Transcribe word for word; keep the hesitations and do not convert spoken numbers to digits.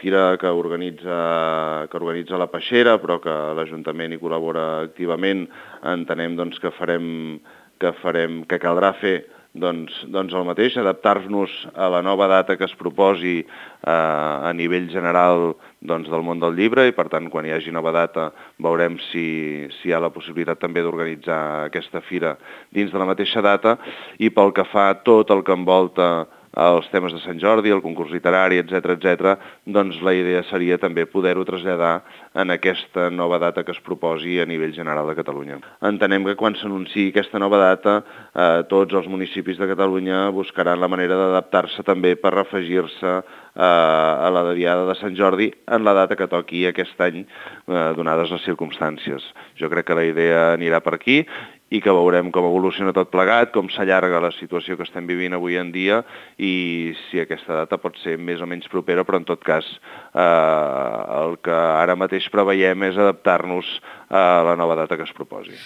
fira que organitza, que organitza la Peixera, però que l'Ajuntament hi col·labora activament. Entenem doncs, que farem, que farem, que caldrà fer doncs, doncs el mateix, adaptar-nos a la nova data que es proposi eh, a nivell general doncs, del món del llibre, i per tant quan hi hagi nova data veurem si, si hi ha la possibilitat també d'organitzar aquesta fira dins de la mateixa data. I pel que fa a tot el que envolta els temes de Sant Jordi, el concurs literari, etcètera, etcètera, doncs la idea seria també poder-ho traslladar en aquesta nova data que es proposi a nivell general de Catalunya. Entenem que quan s'anunciï aquesta nova data, eh, tots els municipis de Catalunya buscaran la manera d'adaptar-se també per afegir-se eh, a la Diada de Sant Jordi en la data que toqui aquest any, eh, donades les circumstàncies. Jo crec que la idea anirà per aquí i que veurem com evoluciona tot plegat, com s'allarga la situació que estem vivint avui en dia i si aquesta data pot ser més o menys propera, però en tot cas eh, el que ara mateix preveiem és adaptar-nos a la nova data que es proposi.